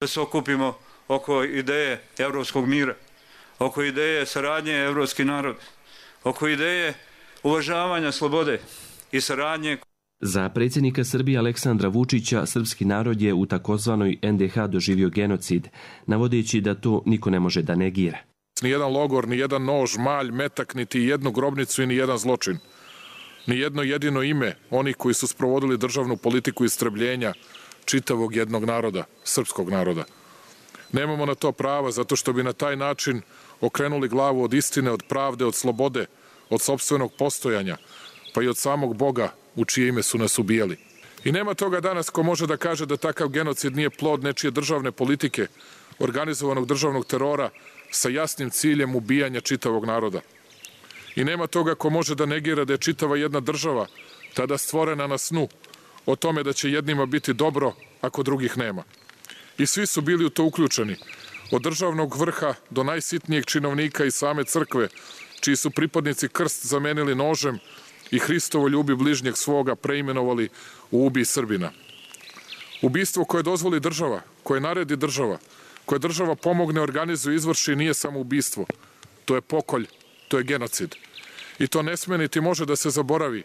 Da se okupimo oko ideje evropskog mira, oko ideje saradnje evropski narod, oko ideje uvažavanja slobode i saradnje. Za predsjednika Srbije Aleksandra Vučića, srpski narod je u takozvanoj NDH doživio genocid, navodeći da to niko ne može da negira. Nijedan logor, nijedan nož, malj, metak, niti jednu grobnicu i nijedan zločin. Nijedno jedino ime onih koji su sprovodili državnu politiku istrebljenja čitavog jednog naroda, srpskog naroda. Nemamo na to prava zato što bi na taj način okrenuli glavu od istine, od pravde, od slobode, od sopstvenog postojanja, pa i od samog Boga u čije ime su nas ubijali. I nema toga danas ko može da kaže da takav genocid nije plod nečije državne politike, organizovanog državnog terora sa jasnim ciljem ubijanja čitavog naroda. I nema toga ko može da negira da je čitava jedna država tada stvorena na snu o tome da će jednima biti dobro ako drugih nema. I svi su bili u to uključeni, od državnog vrha do najsitnijeg činovnika i same crkve, čiji su pripadnici krst zamenili nožem i Hristovo ljubi bližnjeg svoga preimenovali u ubij Srbina. Ubistvo koje dozvoli država, koje naredi država, koje država pomogne, organizuje, izvrši, nije samo ubistvo. To je pokolj, to je genocid. I to ne sme niti može da se zaboravi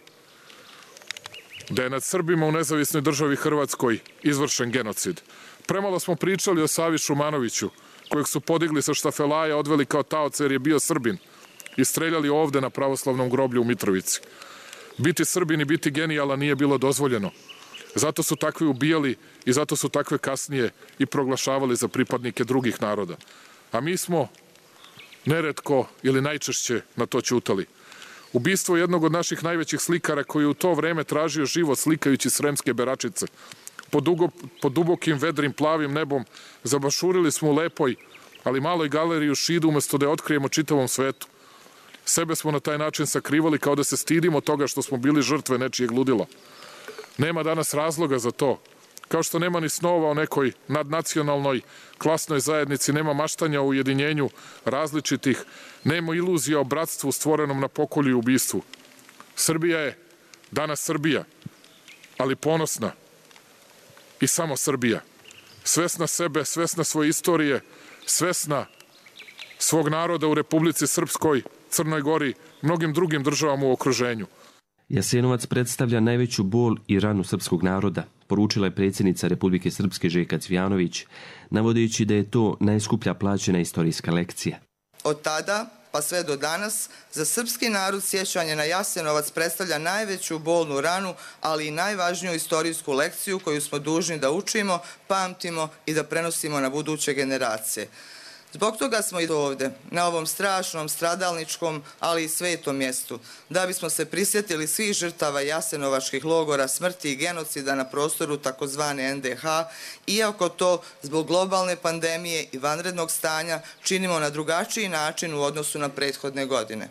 da je nad Srbima u nezavisnoj državi Hrvatskoj izvršen genocid. Premalo smo pričali o Savi Šumanoviću, kojeg su podigli sa štafelaja, odveli kao taoca jer je bio Srbin i streljali ovde na pravoslavnom groblju u Mitrovici. Biti Srbin i biti genijalan nije bilo dozvoljeno. Zato su takvi ubijali i zato su takve kasnije i proglašavali za pripadnike drugih naroda. A mi smo neretko ili najčešće na to ćutali. Ubistvo jednog od naših najvećih slikara koji je u to vreme tražio život slikajući Sremske beračice. Pod dubokim, vedrim, plavim nebom zabašurili smo u lepoj, ali maloj galeriji u Šidu umesto da je otkrijemo čitavom svetu. Sebe smo na taj način sakrivali kao da se stidimo toga što smo bili žrtve nečijeg ludila. Nema danas razloga za to. Kao što nema ni snova o nekoj nadnacionalnoj klasnoj zajednici, nema maštanja o ujedinjenju različitih, nema iluzija o bratstvu stvorenom na pokolju i ubistvu. Srbija je danas Srbija, ali ponosna i samo Srbija. Svesna sebe, svesna svoje istorije, svesna svog naroda u Republici Srpskoj, Crnoj Gori, mnogim drugim državama u okruženju. Jasenovac predstavlja najveću bol i ranu srpskog naroda, poručila je predsjednica Republike Srpske Željka Cvijanović, navodeći da je to najskuplja plaćena istorijska lekcija. Od tada pa sve do danas, za srpski narod sjećanje na Jasenovac predstavlja najveću bolnu ranu, ali i najvažniju istorijsku lekciju koju smo dužni da učimo, pamtimo i da prenosimo na buduće generacije. Zbog toga smo i ovde, na ovom strašnom, stradalničkom, ali i svetom mjestu, da bismo se prisjetili svih žrtava jasenovačkih logora, smrti i genocida na prostoru takozvane NDH, iako to zbog globalne pandemije i vanrednog stanja činimo na drugačiji način u odnosu na prethodne godine.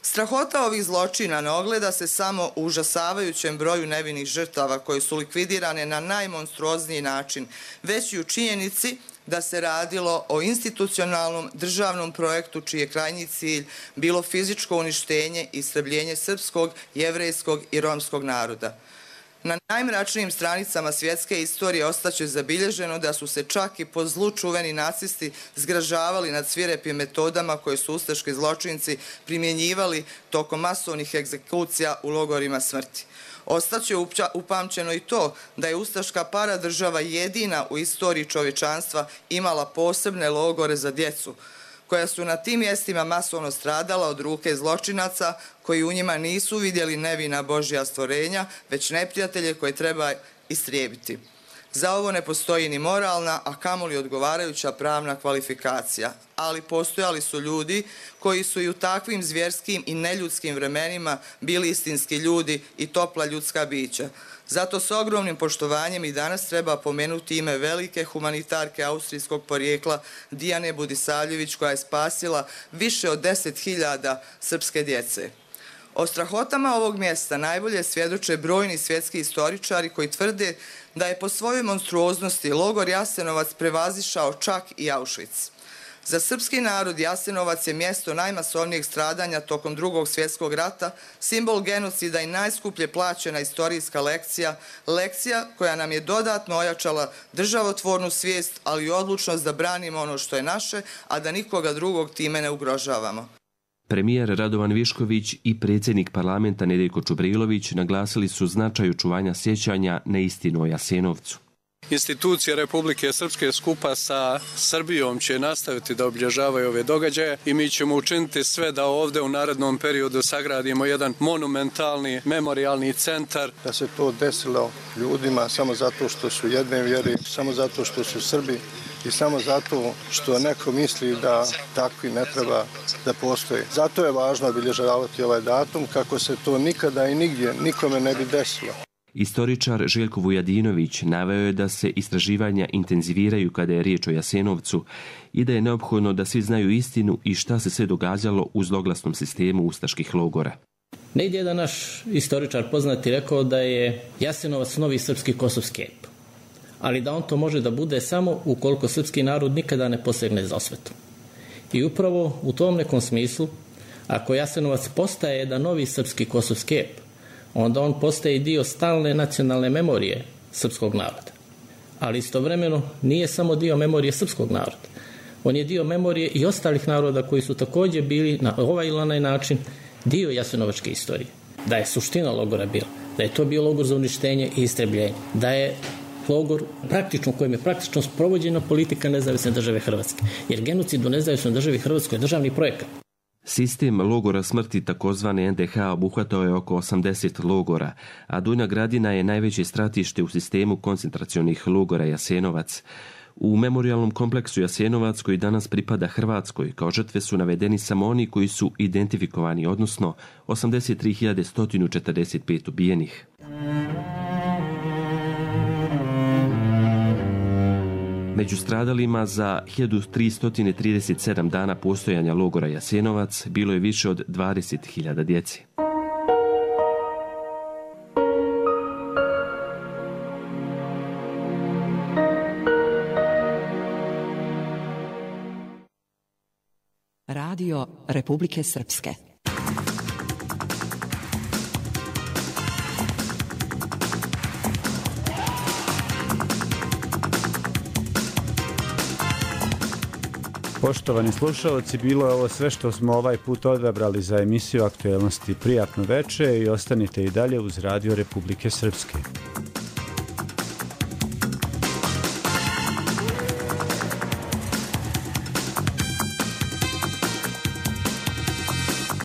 Strahota ovih zločina ne ogleda se samo u užasavajućem broju nevinih žrtava koje su likvidirane na najmonstruozniji način, već i u činjenici da se radilo o institucionalnom državnom projektu čiji je krajnji cilj bilo fizičko uništenje i istrebljenje srpskog, jevrejskog i romskog naroda. Na najmračnijim stranicama svjetske istorije ostaće zabilježeno da su se čak i po zlu čuveni nacisti zgražavali nad svirepim metodama koje su ustaški zločinci primjenjivali tokom masovnih egzekucija u logorima smrti. Ostaće upamćeno i to da je ustaška paradržava jedina u istoriji čovječanstva imala posebne logore za djecu, koja su na tim mjestima masovno stradala od ruke zločinaca koji u njima nisu vidjeli nevina Božja stvorenja, već neprijatelje koje treba istrijebiti. Za ovo ne postoji ni moralna, a kamoli odgovarajuća pravna kvalifikacija, ali postojali su ljudi koji su i u takvim zvjerskim i neljudskim vremenima bili istinski ljudi i topla ljudska bića. Zato s ogromnim poštovanjem i danas treba pomenuti ime velike humanitarke austrijskog porijekla Dijane Budisavljević, koja je spasila više od 10.000 srpske djece. O strahotama ovog mjesta najbolje svjedoče brojni svjetski istoričari koji tvrde da je po svojoj monstruoznosti logor Jasenovac prevazišao čak i Auschwitz. Za srpski narod Jasenovac je mjesto najmasovnijeg stradanja tokom Drugog svjetskog rata, simbol genocida i najskuplje plaćena istorijska lekcija koja nam je dodatno ojačala državotvornu svijest, ali i odlučnost da branimo ono što je naše, a da nikoga drugog time ne ugrožavamo. Premijer Radovan Višković i predsjednik parlamenta Nedjeljko Čubrilović naglasili su značaj očuvanja sjećanja na istinu o Jasenovcu. Institucije Republike Srpske skupa sa Srbijom će nastaviti da obilježavaju ove događaje i mi ćemo učiniti sve da ovdje u narednom periodu sagradimo jedan monumentalni memorijalni centar. Da se to desilo ljudima samo zato što su jedne vjere, samo zato što su Srbi i samo zato što neko misli da takvi ne treba da postoje. Zato je važno obilježavati ovaj datum kako se to nikada i nigdje nikome ne bi desilo. Istoričar Željko Vujadinović naveo je da se istraživanja intenziviraju kada je riječ o Jasenovcu i da je neophodno da svi znaju istinu i šta se sve događalo u zloglasnom sistemu ustaških logora. Negdje je da naš istoričar poznati rekao da je Jasenovac novi srpski kosovski ep, ali da on to može da bude samo ukoliko srpski narod nikada ne posegne za osvetom. I upravo u tom nekom smislu, ako Jasenovac postaje jedan novi srpski kosovski ep, onda on postaje dio stalne nacionalne memorije srpskog naroda. Ali istovremeno nije samo dio memorije srpskog naroda. On je dio memorije i ostalih naroda koji su također bili na ovaj ili onaj način dio jasenovačke istorije. Da je suština logora bila, da je to bio logor za uništenje i istrebljenje, da je logor praktično, kojim je praktično sprovođena politika nezavisne države Hrvatske. Jer genocid u nezavisnoj državi Hrvatskoj je državni projekat. Sistem logora smrti takozvane NDH obuhvatao je oko 80 logora, a Donja Gradina je najveće stratište u sistemu koncentracionih logora Jasenovac. U memorijalnom kompleksu Jasenovac, koji danas pripada Hrvatskoj, kao žrtve su navedeni samo oni koji su identifikovani, odnosno 83.145 ubijenih. Među stradalima za 1337 dana postojanja logora Jasenovac bilo je više od 20.000 djece. Radio Republike Srpske. Poštovani slušalci, bilo je ovo sve što smo ovaj put odabrali za emisiju Aktuelnosti. Prijatno veče i ostanite i dalje uz Radio Republike Srpske.